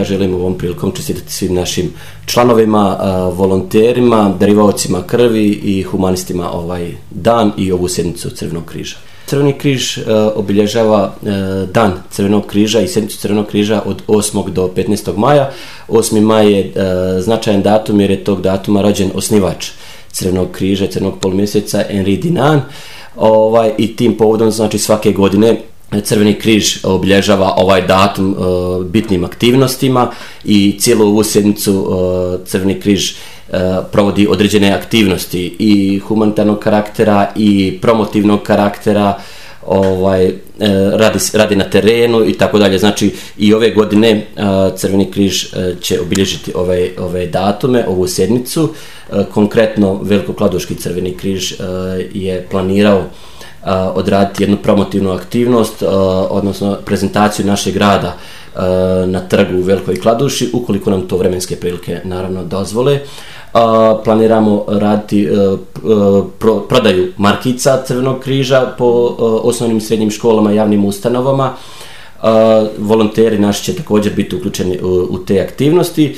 želim ovom prilikom čestitati svim našim članovima, volonterima, darivaocima krvi i humanistima ovaj dan i ovu sjednicu Crvenog križa. Crveni križ obilježava dan Crvenog križa i sjednicu Crvenog križa od 8. do 15. maja. 8. maj je značajan datum jer je tog datuma rođen osnivač Crvenog križa i Crvenog polumjeseca Henri Dunant. I tim povodom, znači, svake godine Crveni križ obilježava ovaj datum bitnim aktivnostima i cijelu ovu sjednicu Crveni križ provodi određene aktivnosti i humanitarnog karaktera i promotivnog karaktera, radi na terenu i tako dalje. Znači i ove godine Crveni križ će obilježiti ove datume, ovu sjednicu. Konkretno Velikokladuški Crveni križ je planirao odraditi jednu promotivnu aktivnost, odnosno prezentaciju našeg rada na trgu u Velikoj Kladuši, ukoliko nam to vremenske prilike naravno dozvole. Planiramo raditi prodaju markica Crvenog križa po osnovnim i srednjim školama i javnim ustanovama. Volonteri naši će također biti uključeni u te aktivnosti.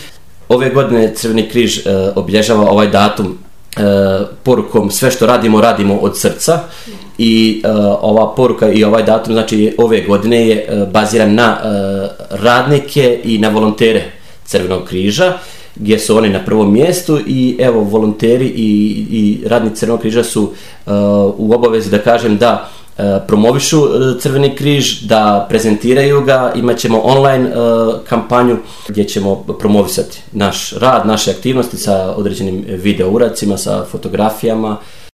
Ove godine Crveni križ obilježava ovaj datum porukom sve što radimo od srca i ova poruka i ovaj datum, znači ove godine je baziran na radnike i na volontere Crvenog križa, gdje su oni na prvom mjestu i evo volonteri i radnici Crvenog križa su u obavezi, da kažem, da promovišu Crveni križ, da prezentiraju ga. Imat ćemo online kampanju gdje ćemo promovisati naš rad, naše aktivnosti sa određenim video uradcima, sa fotografijama